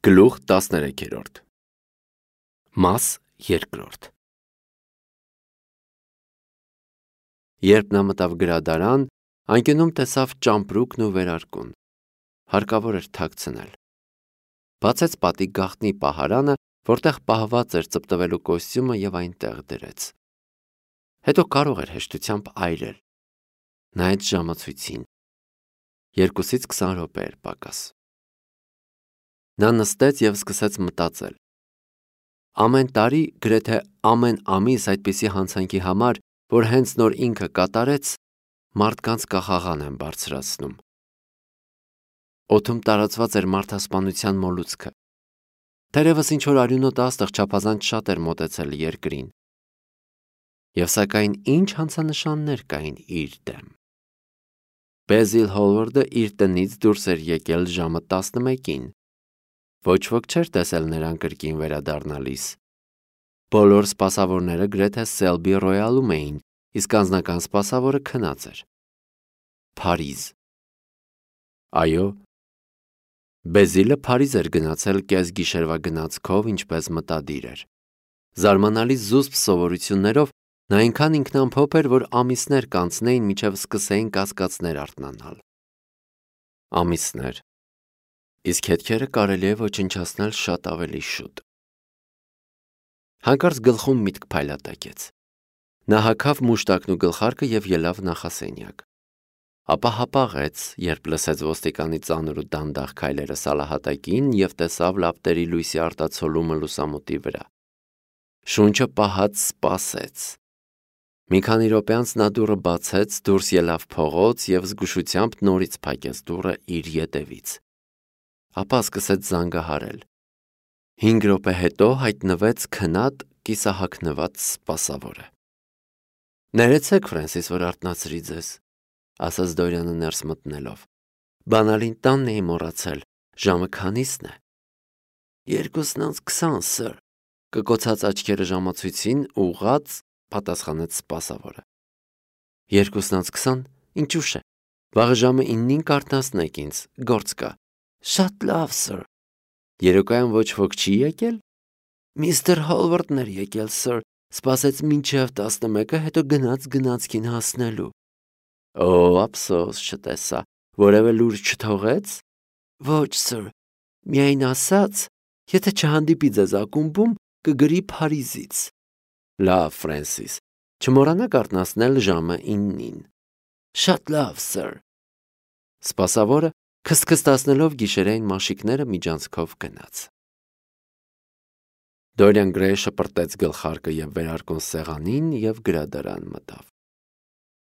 Գլուխ 13 Մաս 2 Երբ նա մտավ գրադարան, անկյունում տեսավ ճամպրուկն ու վերարկուն։ Հարկավոր էր թաքցնել։ Բացեց պատի գաղտնի պահարանը, որտեղ պահված էր ծպտվելու կոստյումը և այնտեղ դրեց։ Հետո կարող էր հեշտությամբ այրել։ Նայեց ժամացույցին։ 2-ից 20 րոպե էր պակաս։ Նա նստեց և սկսեց մտածել։ Ամեն տարի, գրեթե ամեն ամիս այդպիսի հանցանքի համար, որ հենց նոր ինքը կատարեց, մարդկանց կախաղան են բարձրացնում։ Օդում տարածված էր մարդասպանության մոլուցքը։ Թերևս ինչ-որ արյունոտ աստղ չափազանց շատ էր մոտեցել երկրին։ Եվ սակայն ինչ հանցանշաններ կային իր դեմ։ Բեզիլ Հոլվարդը իր տնից դուրս էր եկել ժամը 11-ին։ Ոչ ոք չէր տեսել նրան կրկին վերադառնալիս։ Բոլոր սպասավորները գրեթե Սելբի Ռոյալում էին, իսկ անձնական սպասավորը քնած էր։ Փարիզ։ Այո, Բեզիլը Փարիզ էր գնացել կեսգիշերվա գնացքով, ինչպես մտադիր էր։ Զարմանալի զուսպ սովորություններով նա այնքան ինքնամփոփ էր, որ ամիսներ կանցնեին, մինչև սկսեին կասկածներ արթնանալ։ Ամիսներ։ Իսկ հետքերը կարելի է ոչնչացնել շատ ավելի շուտ։ Հանկարծ գլխում միտք փայլատակեց։ Նա հագավ մուշտակն ու գլխարկը և ելավ նախասենյակ։ Ապա հապաղեց, երբ լսեց ոստիկանի ծանր ու դանդաղ քայլերը սալահատակին և տեսավ լապտերի լույսի արտացոլումը լուսամուտի վրա։ Շունչը պահած սպասեց։ Մի քանի րոպե անց նա դուռը բացեց, դուրս ելավ փողոց և զգուշությամբ նորից փակեց դուռը իր ետևից։ Ապա սկսեց զանգահարել։ 5 րոպե հետո հայտնվեց քնած, կիսահագնված սպասավորը։ Ներեցեք, Ֆրենսիս, որ արթնացրի ձեզ, ասաց Դորյանը ներս մտնելով։ Բանալին տանն էի մոռացել, ժամը քանիսն է։ 2:20, սըր, կկոցած աչքերը ժամացույցին ուղղած, պատասխանեց սպասավորը։ 2:20, ինչ ուշ է, վաղը ժամը 9-ին կարթնացնեք ինձ, գործ կա։ Շատ լավ, սըր։ Երեկոյան ոչ ոք չի եկել։ Միստր Հոլվարդն էր եկել, սըր, սպասեց մինչև 11-ը, հետո գնաց գնացքին հասնելու։ Օ, ափսոս, չտեսա, որևէ լուր չթողեց։ Ոչ, սըր, միայն ասաց, եթե չհանդիպի ձեզ ակումբում, կգրի Փարիզից։ Լավ, Ֆրենսիս, չմոռանաք արթնացնել ժամը 9-ին։ Շատ լավ, սըր։ Սպասավորը քստքստացնելով գիշերային մաշիկները միջանցքով գնաց։ Դորիան Գրեյը շպրտեց գլխարկը և վերարկուն սեղանին և գրադարան մտավ։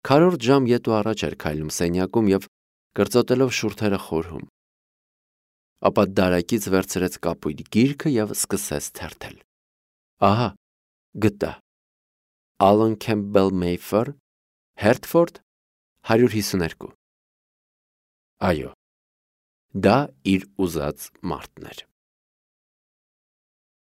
Քառորդ ժամ ետ ու առաջ էր քայլում սենյակում և կրծոտելով շուրթերը խորհում։ Ապա դարակից վերցրեց կապույտ գիրքը և սկսեց թերթել։ Ահա, գտա։ Ալան Քեմփբել Մեյֆեր, Հերթֆորդ, 152։ Այո, դա իր ուզած մարդն էր։